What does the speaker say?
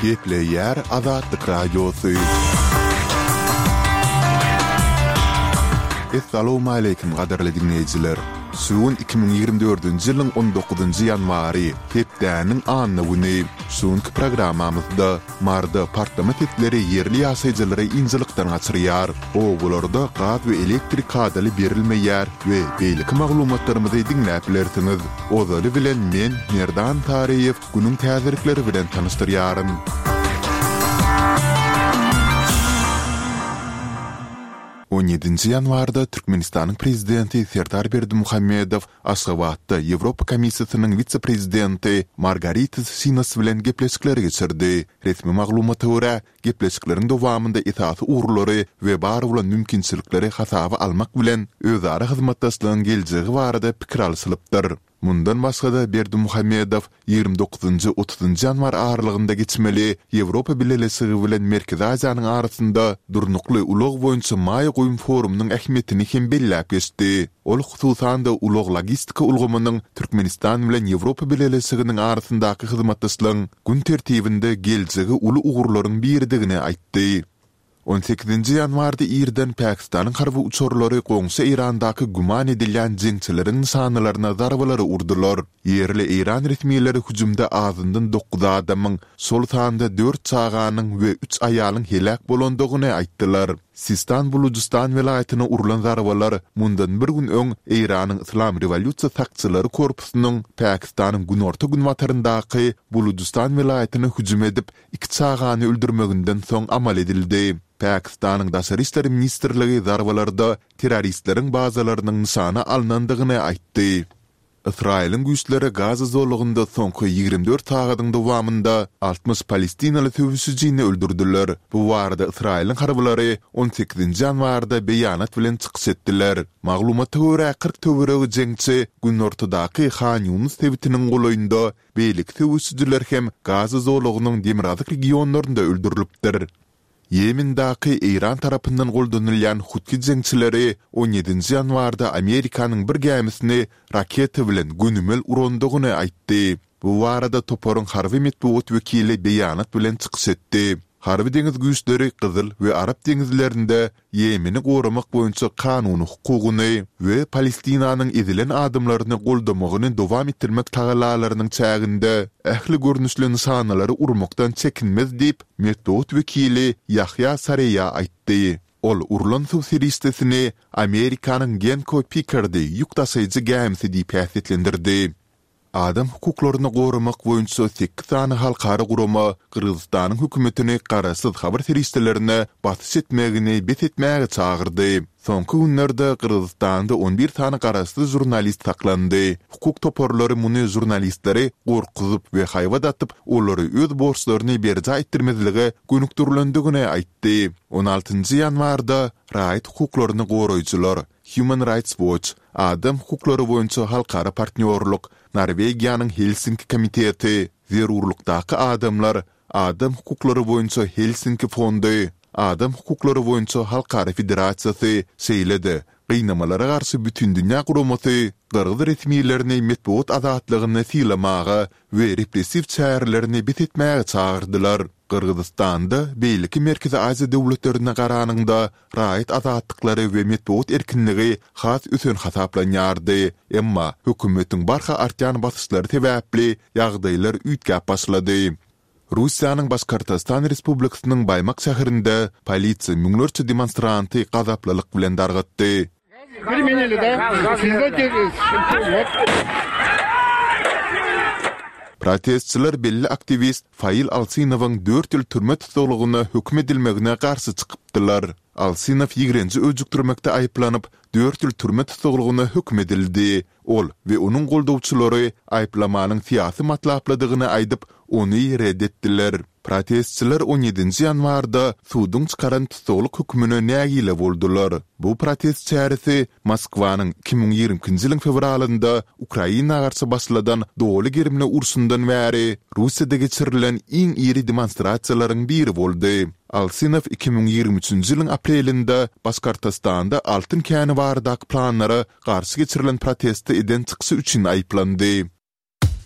Gepleýär Azatlyk Radiosy. Essalawmaleýkim gadyrly diňleýjiler! Şu gün 2024-nji ýylyň on dokuzynjy ýanwary, hepdäniň anna güni. Şu günki programmamyzda Maryda partlama sesleri ýerli ýaşaýjylary ynjalykdan gaçyrýar, obalarda gaz we elektrik kadaly berilmeýär we beýleki maglumatlarymyzy diňläp bilersiňiz. Ozaly bilen men, Merdan Taryýew, günüň täzelikleri bilen tanyşdyrýaryn. On ýedinji ýanwarda Türkmenistanyň Prezidenti Serdar Berdimuhamedow Aşgabatda Ýewropa Komissiýasynyň wise-prezidenti Margaritis Şinas bilen gepleşikleri geçirdi. Resmi maglumata görä, gepleşikleriň dowamynda esasy ugurlary we bar bolan mümkinçilikleri hasaba almak bilen, özara hyzmatdaşlygyň geljegi barada pikir alşylypdyr. Mundan başga-da, Berdimuhamedow 29-njy, otuzynjy ýanwar aralygynda geçmeli Ýewropa Bileleşigi bilen Merkezi Aziýanyň arasynda durnukly ulag boýunça maýa goýum forumynyň ähmiýetini hem belläp geçdi. Ol hususan-da ulag-logistika ulgamynyň Türkmenistan bilen Ýewropa Bileleşiginiň arasyndaky hyzmatdaşlygyň gün tertibinde geljegi uly ugurlaryň biridigini aýtdy. On sekizinji ýanwarda irden Pakistanyň harby uçarlary goňşy Eýrandaky güman edilýän jeňçileriň nyşanalaryna zarbalary urdular. Ýerli eýran resmileri hüjümde azyndan dokuz adamyň, şol sanda dört çaganyň we üç aýalyň heläk bolandygyny aýtdylar. Sistan-Bulujystan welaýatyna urlan zarbalar mundan bir gün öň Eýranyň Yslam rewolýusiýa sakçylary korpusynyň Pakistanyň günorta-günbataryndaky Bulujystan welaýatyna hüjüm edip, iki çagany öldürmeginden soň amal edildi. Pakistanyň Daşary işler ministrligi zarbalarda terroristleriň bazalarynyň nyşana alnandygyny aýtdy. Ysraýylyň güýçleri Gaza zolagynda soňky 24 sagadyň dowamynda 60 palestinaly söweşijini öldürdiler. Bu barada Ysraýylyň harbylary on sekizinji ýanwarda beýanat bilen çykyş etdiler. Maglumata görä, 40 töweregi jeňçi günortadaky Han Ýunus sebitiniň golaýynda Beýleki söweşijiler hem Gaza zolagynyň demirgazyk regionlarynda öldürilipdir. Ýemendaky Eýran tarapyndan goldanylýan Huthi jeňçileri on ýedinji ýanwarda Amerikanyň bir gämisini raketa bilen gönümel urandygyny aýtdy. Bu barada toparyň harby metbugat wekili beýanat bilen çykyş etdi. Harby-deňiz güýçleri Gyzyl we Arap deňizlerinde Ýemeni goramak boýunça kanuny hukugyny we Palestinanyň ezilen adamlaryny goldamagyny dowam etdirmek tagallalarynyň çäginde ähli görnüşli nyşanalary urmakdan çekinmez diýip, metbugat wekili Ýahýa Sareýa aýtdy. Ol urlan suw serişdesini Amerikanyň Genco Pikardy ýük daşaýjy gämisi diýip häsiýetlendirdi. Adam hukuklaryny goramak boýunça sekiz sany halkara gurama Gyrgyzystanyň hökümetini garaşsyz habar serişdelerine basyş etmegini bes etmäge çagyrdy. Soňky günlerde Gyrgyzystanda on bir sany garaşsyz žurnalist saklandy. Hukuk toparlary muny žurnalistleri gorkuzyp we haýbat atyp, olary öz borçlaryny berjaý etdirmezlige gönükdirilendigini aýtdy. On altynjy ýanwarda raýat hukuklaryny goraýjylar, Human Rights Watch, Adam hukuklary boýunça halkara partnýorlyk, Norwegiýanyň Helsinki komiteti, Zerurlykdaky adamlar, Adam hukuklary boýunça Helsinki fondy, Adam hukuklary boýunça halkara federasiýasy, şeýle-de Gynamalara garşy bütindünýä guramasy gyrgyz resmilerini metbugat azatlygyny sylamaga we repressiw çärelerini bes etmäge çagyrdylar. Gyrgyzystanda beýleki Merkezi Aziýa döwletlerine garanyňda raýat azatlyklary we metbugat erkinligi has ösen hasaplanýardy, emma hökümetiň barha artýan basyşlary sebäpli ýagdaýlar üýtgäp başlady. Russiýanyň Başkortostan Respublikasynyň Baýmak şäherinde polisiýa müňlerçe demonstranty gazaplylyk bilen dargatdy. Protestçiler belli aktiwist Fail Alsynowyň dört ýyl türme tussaglygyna höküm edilmegine garşy çykypdylar. Alsynow ýigrenji öjükdirmekde aýyplanyp, dört ýyl türme tussaglygyna höküm edildi. Ol we onuň goldawçylary aýyplamanyň syýasy matlaplydygyny aýdyp, ony ret etdiler. Protestçiler on ýedinji ýanwarda suduň çykaran tussaglyk hökümine nägile boldular. Bu protest çäresi Moskwanyň 2022-nji ýylyň fewralynda Ukraina garşy başladan doly gerimli urşundan bäri Russiýada geçirilen iň iri demonstrasiýalaryň biri boldy. Alsynow 2023-nji ýylyň aprelinde Başkortostanda altyn käni baradaky planlara garşy geçirilen protestde eden çykyşy üçin aýyplandy.